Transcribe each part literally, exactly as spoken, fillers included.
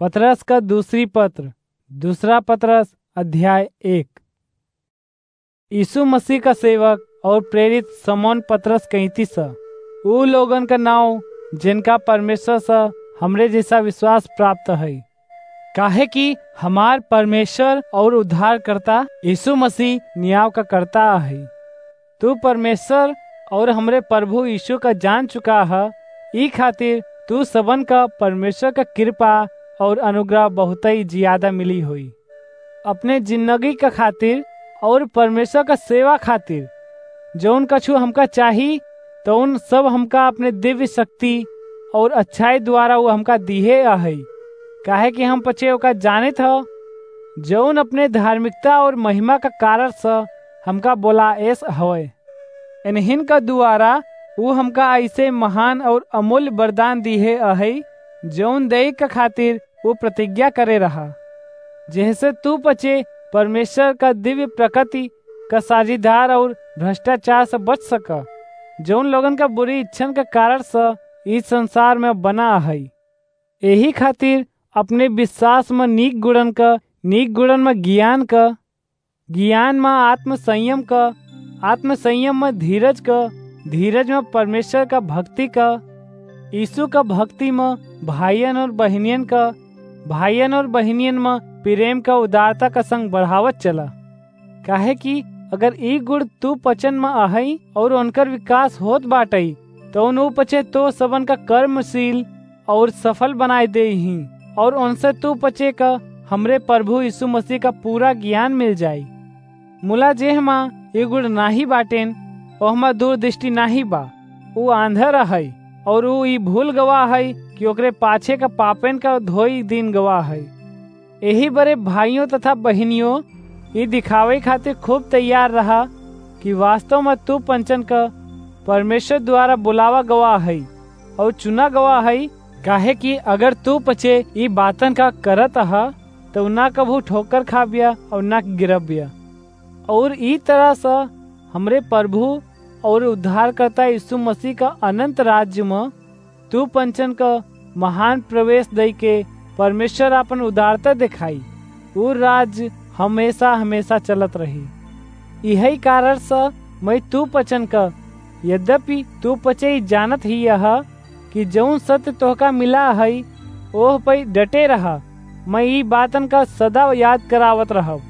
पतरस का दूसरी पत्र, दूसरा पतरस, अध्याय एक। यीशु मसीह का सेवक और प्रेरित शमौन पतरस कैंतीस ह। ऊ लोगन का नाव, जिनका परमेश्वर से हमरे जैसा विश्वास प्राप्त है, काहे कि हमार परमेश्वर और उद्धारकर्ता यीशु मसीह न्याय का कर्ता है। तू परमेश्वर और हमरे प्रभु यीशु का जान चुका ह, ई खातिर तू सबन का परमेश्वर का कृपा और अनुग्रह बहुत ही ज्यादा मिली होई। अपने जिंदगी का खातिर और परमेश्वर का सेवा खातिर जौन कछु हमका चाही, तौन सब हमका अपने दिव्य शक्ति और अच्छाई द्वारा वो हमका दिहे आहे, काहे कि हम पचे ओका जानित ह, जौन अपने धार्मिकता और महिमा का कारण से हमका बोलाएस हवे। इन्हिन का द्वारा ऊ हमका ऐसे महान और अमूल्य वरदान दिहे अहै, जौन देई के खातिर ऊ प्रतिज्ञा करे रहा, जेहसे तू पचे परमेश्वर का दिव्य प्रकृति का साझीदार और भ्रष्टाचार से बच सका, जौन लोगन का बुरी इच्छन का कारण से इस संसार में बना अहै। एही खातिर अपने विश्वास में नीक गुणन का, नीक गुणन में ज्ञान का, ज्ञान में आत्मसंयम का, आत्मसंयम में धीरज का, धीरज में परमेश्वर का भक्ति का, यीशु का भक्ति में भाइयन और बहिनियन का, भाइयन और बहिनियन में प्रेम का उदारता का संग बढ़ावत चला। काहे कि अगर ई गुण तू पचन में आहई और उनकर विकास होत बाटई, तो उन ऊ पचे तो सबन का कर्मशील और सफल बनाए देही, और उनसे तू पचे का हमरे प्रभु यीशु मसीह का पूरा ज्ञान मिल जाई। मुला जेहमा ई गुण नाही बाटेन, ओहमा दूरदृष्टि नाही बा। ऊ आंधर अहई, और ऊ ई भूल गवा हई कि ओकरे पाछे का पापेन का धोई दिन गवा हई। एही बरे भाइयों तथा बहिनियों, ई दिखावे खातिर खूब तैयार रहा कि वास्तव में तू पंचन का परमेश्वर द्वारा बुलावा गवा हई और चुना गवा हई, काहे कि अगर तू पचे ई बातन का करत अहा, तो ना कभू ठोकर खाबिया और ना गिरबिया। और ई तरह से हमरे प्रभु और उद्धारकर्ता यीशु मसीह का अनंत राज्य में तू पंचन का महान प्रवेश दई के परमेश्वर आपन उदारता दिखाई। ऊ राज्य हमेशा हमेशा चलत रही। इही कारण से मैं तू पचन का, यद्यपि तू पचे ई जानत ही यह कि जौन सत्य तोहका मिला है, ओह पे डटे रहा। मैं ई बातन का सदा याद करावत रहब।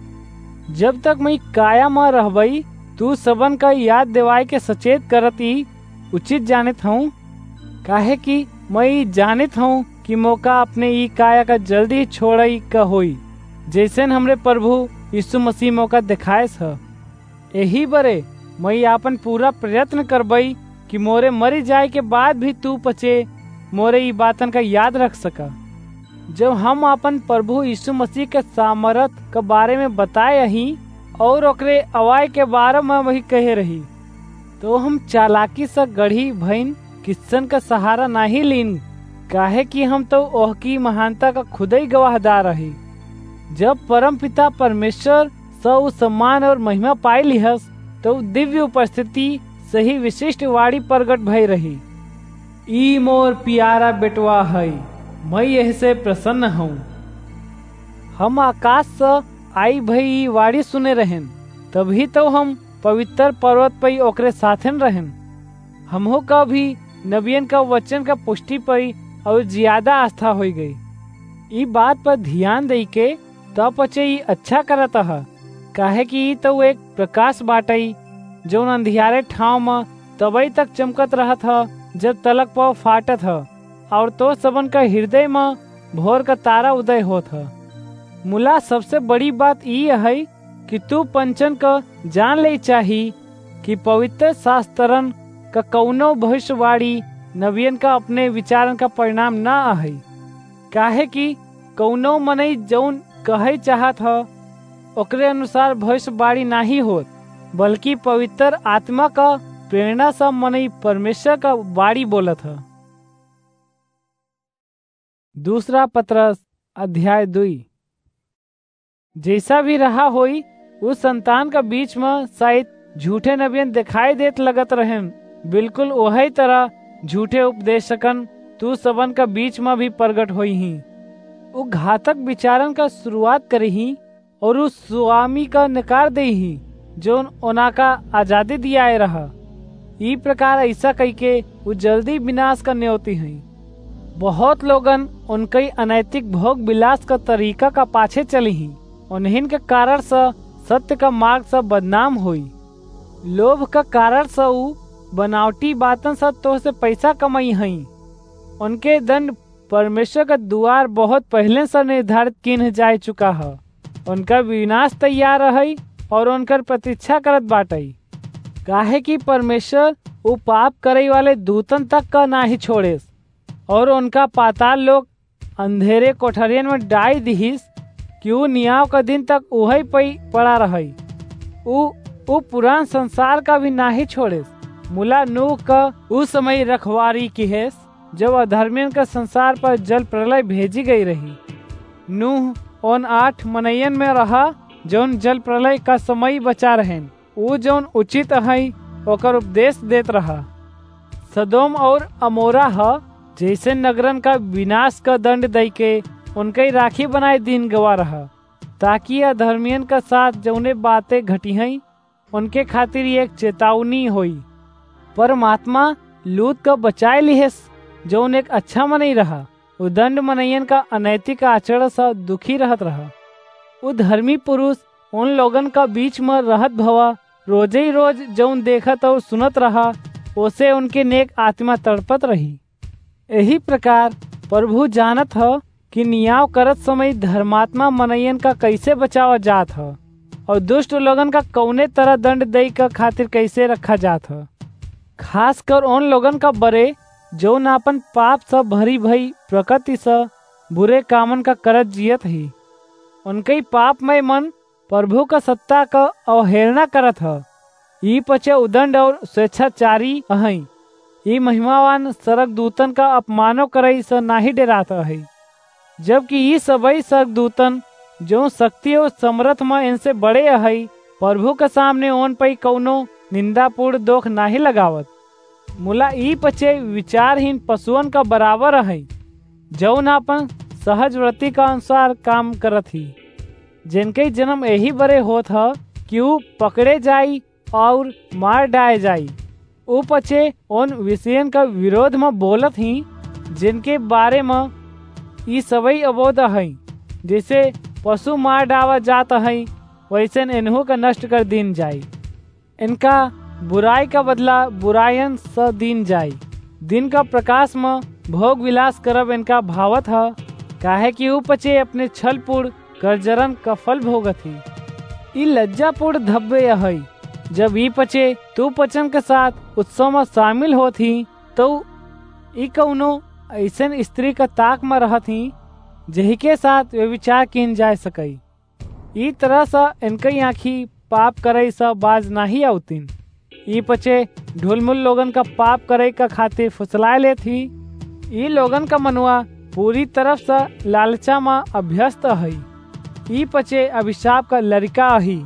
जब तक मैं काया में रहबई, तू सबन का याद देवाए के सचेत करत ई उचित जानित हूँ, काहे कि मैं ई जानित हूँ कि मोका अपने ई काया का जल्दी छोड़ई का होई, जैसन हमरे प्रभु यीशु मसीह मोका दिखाएस ह। एही बरे मैं आपन पूरा प्रयत्न करबई कि मोरे मरी जाए के बाद भी तू पचे मोरे ई बातन का याद रख सका। जब हम आपन प्रभु यीशु मसीह के सामर्थ के बारे में बताए अही और ओकरे अवाए के बारे में वही कहे रही, तो हम चालाकी से गढ़ी भइन किस्सन का सहारा नाही लीन, काहे कि हम तो ओहकी महानता का खुदई गवाहदार अही। जब परमपिता परमेश्वर से ऊ सम्मान और महिमा पाई लिहस, तो ऊ दिव्य उपस्थिति से ही विशिष्ट वाणी प्रगट भई रही, "ई मोर प्यारा बेटवा है, मैं यह से प्रसन्न हूँ।" हम आकाश से आई भई ई वाणी सुने रहेन, तभी तो हम पवित्र पर्वत पई ओकरे साथन रहेन। हमहू का भी नबियन का वचन का पुष्टि पई और ज्यादा आस्था होई गई। ई बात पर ध्यान दई के तब पचे ई अच्छा करत ह, काहे कि ई तो एक प्रकाश बाटई, जौन अंधियारे ठाव में तबई तक चमकत रहत ह, जब तलक पाव फाटत ह, और तो सबन का हृदय में भोर का तारा उदय होत ह। मुला सबसे बड़ी बात ई है कि तू पंचन का जान ले चाही कि पवित्र शास्त्रन का कौनो भविष्यवाणी नबियन का अपने विचारन का परिणाम ना आहे, काहे कि कौनो मनई जौन कहई चाहत ह, ओकरे अनुसार भविष्यवाणी नाही होत, बल्कि पवित्र आत्मा का प्रेरणा से मनई परमेश्वर का वाणी बोलत ह। दूसरा पतरस अध्याय दुई। जैसा भी रहा होई, उस संतान का बीच में शायद झूठे नबियन दिखाई देत लगत रहेन, बिल्कुल वही तरह झूठे उपदेशकन तू सबन का बीच में भी प्रगट होई ही। उ घातक विचारन का शुरुआत करिहीं और उ स्वामी का नकार देइहीं, जौन ओना का आजादी दियाए रहा। ई प्रकार ऐसा कइके उ जल्दी विनाश का न्योती हईं। बहुत लोगन उनकई अनैतिक भोग विलास का तरीका का पाछे चलिहीं। उन्हीं के कारण स सत्य का मार्ग स बदनाम होई। लोभ का कारण स उ बनावटी बातन स तोह से पैसा कमाई हईं। उनके दंड परमेश्वर का दुआर बहुत पहले से निर्धारित किन जाए चुका ह। उनका विनाश तैयार रहई और उनकर प्रतीक्षा करत बाटई, काहे कि परमेश्वर उ पाप करई वाले दूतन तक का नाही छोड़ेस और उनका पाताल लोक अंधेरे कोठरियन में डाई दिहिस कि उ नियाव का दिन तक उहई पई पड़ा रहई। उ, उ पुरान संसार का भी नाही छोड़ेस। मुला नूह का उ समय रखवारी किहेस, जब अधर्मियन का संसार पर जल प्रलय भेजी गई रही। नूह उन आठ मनइयन में रहा, जौन जल प्रलय का समय बचा रहेन। उ जौन उचित अहई, ओकर उपदेश देत रहा। सदोम और अमोरा ह, जैसे नगरन का विनाश का दंड दई के उनकई राखी बनाए दीन गवा रहा, ताकि अधर्मियन का साथ जौने बातें घटी हईं, उनके खातिर एक चेतावनी होई। परमात्मा लूत का बचाए लिहेस, जौन एक अच्छा मनई रहा। उ दंड मनइयन का अनैतिक आचरण स दुखी रहत रहा। उ धर्मी पुरुष उन लोगन का बीच में रहत भवा रोजे ही रोज जौन देखत और सुनत रहा, ओसे उनके नेक आत्मा तड़पत रही। यही प्रकार प्रभु जानत ह कि नियाव करत समय धर्मात्मा मनइयन का कैसे बचावा जात ह और दुष्ट लोगन का कौने तरह दंड दई का खातिर कैसे रखा जात ह। खासकर उन लोगन का बरे जौन आपन पाप स भरी भई प्रकृति स बुरे कामन का करत जियत ही। उनकई पापमय मन प्रभु का सत्ता का अवहेलना करत ह। ई पचे उदंड और स्वेच्छाचारी अहई। ई महिमावान स्वर्गदूतन का अपमानो करई स नाही डेरात अहई, जबकि ई सबई स्वर्गदूतन जौन शक्ति और समरथ म इनसे बड़े अहई, प्रभु के सामने ओन पई कौनो निंदापूर्ण दोख नाही लगावत। मुला ई पचे विचारहीन पशुअन का बराबर अहई, जौन आपन सहज व्रति का अनुसार काम करत ही, जिनके जन्म यही बरे होत ह कि उ पकड़े जाई और मार डाए जाई। उ पचे उन विषयन का विरोध म बोलत ही, जिनके बारे म ई सबई अबोध अहई। जैसे पशु मार डावा जात अहई, वैसन इन्हू का नष्ट कर दीन जाई। इनका बुराई का बदला बुरायन स दीन जाई। दिन का प्रकाश म भोग विलास करब इनका भावत ह, काहे कि उ पचे अपने छलपूर्ण करजरन का फल भोगत ही। ई लज्जापूर्ण धब्बे अहई। जब ई पचे तू पचन के साथ उत्सव म शामिल होत ही, तो ई कौनो ऐसन स्त्री का ताक म रहत ही, जेही के साथ व्यभिचार कीन जाए सकई। ई तरह स इनकई आँखी पाप करई स बाज नाही आवतिन। ई पचे ढुलमुल लोगन का पाप करई का खातिर फुसलाए लेत ही। ई लोगन का मनुआ पूरी तरफ स लालचा म अभ्यस्त अहई। ई पचे अभिशाप का लरिका अही।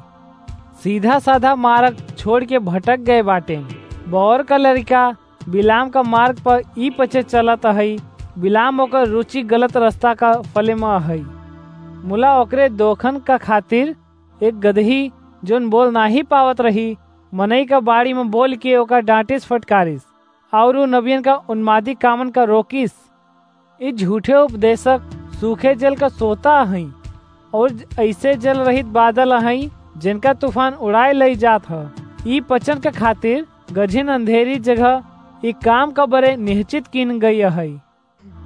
सीधा साधा मार्ग छोड़ के भटक गए बाटेन। बौर का लरिका बिलाम का मार्ग पर ई पचे चलत अहई। बिलाम ओकर रुचि गलत रास्ता का फले म अहई। मुला ओकरे दोखन का खातिर एक गदही, जोन बोल नाही पावत रही, मनई का बाड़ी म बोल के ओका डांटिस फटकारिस, और उ नबियन का उन्मादी कामन का रोकिस। ई झूठे उपदेशक सूखे जल का सोता अहई, और ऐसे जल रहित बादल अहई, जिनका तूफान उड़ाए लई जात ह। ई पचन के खातिर गझिन अंधेरी जगह ई काम का बरे निश्चित कीन गई अहई।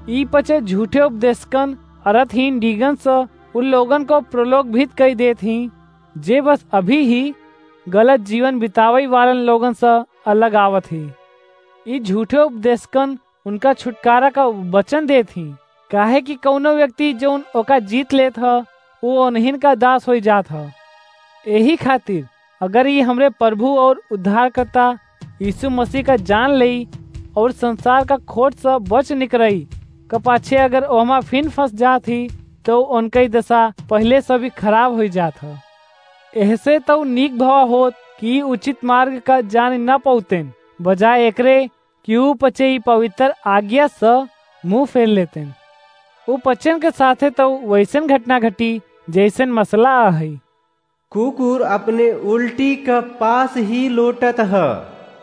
ई पचे झूठे उपदेशकन अरथहीन डीगन स उन लोगन को प्रलोभित कई देत ही, जे बस अभी ही गलत जीवन बितावई वालन लोगन स अलग आवत ही। ई झूठे उपदेशकन उनका छुटकारा का वचन देत ही, काहे कि कौनो व्यक्ति जौन ओका जीत लेत ह, वो उन्हीं का दास होई जात ह। यही खातिर अगर ये हमरे प्रभु और उद्धारकर्ता यीशु मसीह का जान लेई और संसार का खोट से बच निकरई का पाछे अगर ओहमा फिन फंस जात ही, तो उनकई दशा पहले से भी खराब होई जात ह। एहसे तो नीक भवा होत कि उचित मार्ग का जान न पौतेन, बजाय एकरे कि ऊ पचे ई पवित्र आज्ञा से मुंह फेर लेतेन। उ पचन के साथे तो वैसन घटना घटी, जैसन मसला अहइ। कुकुर अपने उल्टी का पास ही लोटत ह,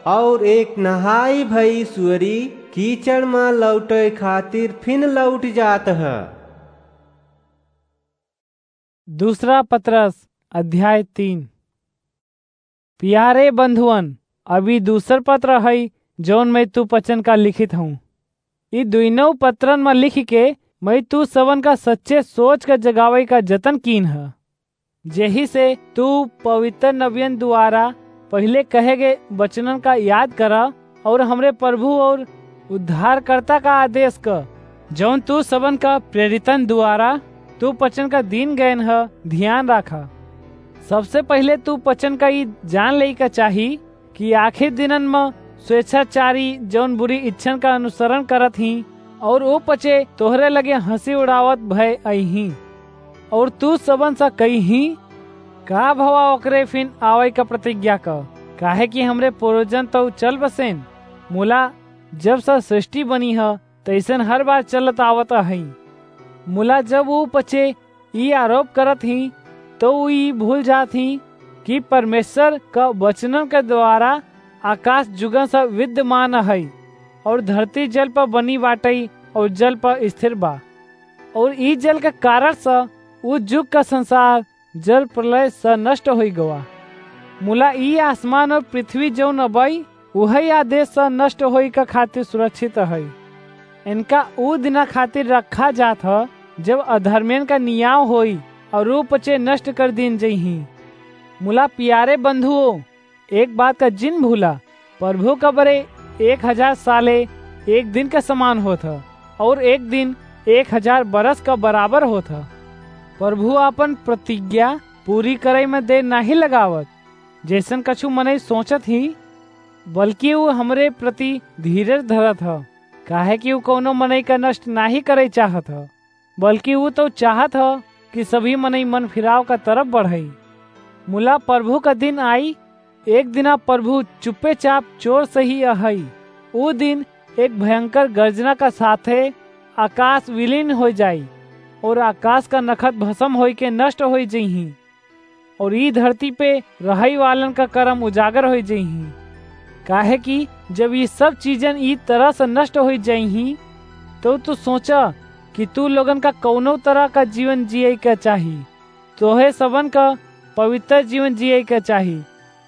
और एक नहाई भई सुअरी कीचड़ म लौटे खातिर फिन लौट जात ह। दूसरा पतरस अध्याय तीन। प्यारे बंधुअन, अभी दूसर पत्र हई, जौन मैं तू पचन का लिखित हूँ। ई दुइनों पत्रन म लिख के मैं तू सबन का सच्चे सोच का जगावे का जतन कीन ह। जेही से तू पवित्र नबियन द्वारा पहिले कहे गए वचनन का याद करा और हमरे प्रभु और उद्धारकर्ता का आदेश क, जौन तू सबन का प्रेरितन द्वारा तू पचन का दीन गयन ह, ध्यान राखा। सबसे पहिले तू पचन का ई जान लेई का चाही कि आखिर दिनन म स्वेच्छाचारी जौन बुरी इच्छन का अनुसरण करत ही और ओ पचे तोहरे लगे हंसी उड़ावत भय अइहीं। और तू सबन सा कइहीं, का भवा ओकरे फिन आवै का प्रतिज्ञा क, काहे कि हमरे पूर्वजन तो चल बसेन। मुला जब सा सृष्टि बनी ह, तैसन हर बार चलत आवत अहई। मुला जब ऊ पचे ई आरोप करत ही, तो ऊ ई भूल जात ही कि परमेश्वर का वचनन के द्वारा आकाश जुगन सा विद्यमान अहई और धरती जल पर बनी बाटई और जल पर स्थिर बा। और ई जल के कारण स ऊ जुग का संसार जल प्रलय स नष्ट होई गवा। मुला ई आसमान और पृथ्वी जौन अबई, उहई आदेश स नष्ट होई का खातिर सुरक्षित हई। इनका ऊ दिना खातिर रखा जात ह, जब अधर्मियन का नियाव होई और ऊ पचे नष्ट कर दीन जइहीं। मुला प्यारे बंधुओ, एक बात का जिन भूला, प्रभु का बरे एक हजार साले एक दिन के समान होत ह, और एक दिन एक हजार बरस का बराबर होत ह। प्रभु आपन प्रतिज्ञा पूरी करई में देर नाहीं लगावत, जैसन कछु मनई सोचत ही, बल्कि ऊ हमरे प्रति धीरज धरत ह, काहे कि ऊ कौनो मनई का नष्ट नाहीं करई चाहत ह, बल्कि ऊ तो चाहत ह कि सभी मनई मन फिराव का तरफ बढ़ई। मुला प्रभु का दिन आई, एक दिना प्रभु चुप्पे चाप चोर सही अहई। ऊ दिन एक भयंकर गर्जना का साथे आकाश विलीन हो जाई और आकाश का नखत भस्म होई के नष्ट होई जइहीं और ई धरती पे रहई वालन का करम उजागर होई जइहीं। काहे कि जब ई सब चीजन ई तरह से नष्ट होई जइहीं, तो तू सोचा कि तू लोगन का कौनो तरह का जीवन जिए का चाही। तोहे सबन का पवित्र जीवन जिए का चाही,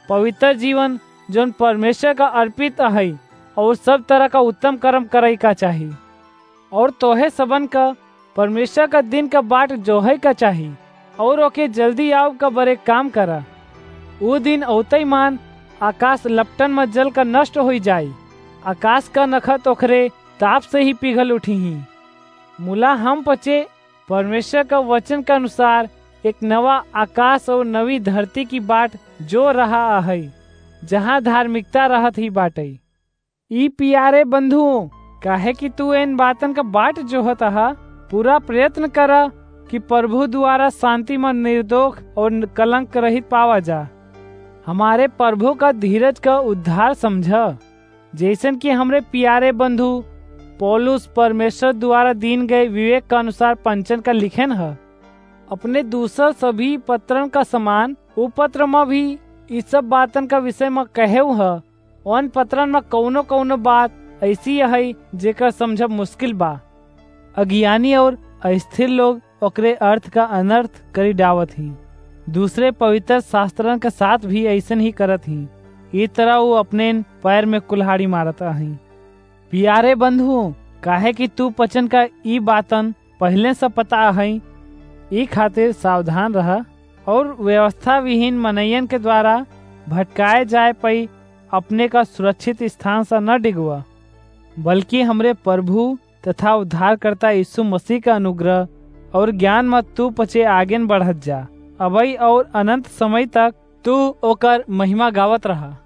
पवित्र जीवन जौन परमेश्वर का अर्पित अहई, और सब तरह का उत्तम कर्म करई का चाही। और तोहे सबन का परमेश्वर का दिन का बाट जोहई का चाही, और ओके जल्दी आव का बरे काम करा। ऊ दिन औतई मान आकाश लपटन में जल का नष्ट होई जाई, आकाश का नखत ओखरे ताप से ही पिघल उठी ही। मुला हम पचे परमेश्वर का वचन के अनुसार एक नवा आकाश और नवी धरती की बाट जो रहा अहई, जहाँ धार्मिकता रहत ही बाटई। ई प्यारे बंधुओं, काहे कि तू इन बातन का बाट जोहत अहा, पूरा प्रयत्न करा कि प्रभु द्वारा शांति में निर्दोष और कलंक रहित पावा जा। हमारे प्रभु का धीरज का उद्धार समझा। जैसन कि हमरे प्यारे बंधु पौलुस परमेश्वर द्वारा दीन गए विवेक का अनुसार पंचन का लिखेन ह, अपने दूसर सभी पत्रन का समान उ पत्र म भी इ सब बातन का विषय म कहेउ ह। उन पत्रन म कौनो कौनो बात ऐसी अहइ जेकर समझब मुश्किल बा। अज्ञानी और अस्थिर लोग ओकरे अर्थ का अनर्थ करी डावत ही। दूसरे पवित्र शास्त्रन के साथ भी ऐसन ही करत ही। ई तरह वो अपने पैर में कुल्हाड़ी मारत अहइ। प्यारे बंधुओं, काहे कि तू पचन का ई बातन पहले से पता अहइ, ई खातिर सावधान रहा और व्यवस्था विहीन मनइयन के द्वारा भटकाए जाए पई अपने का सुरक्षित स्थान से न डिगवा, बल्कि हमरे प्रभु तथा उद्धारकर्ता यीशु मसीह का अनुग्रह और ज्ञान में तू पचे आगेन बढ़त जा। अबई और अनंत समय तक तू ओकर महिमा गावत रहा।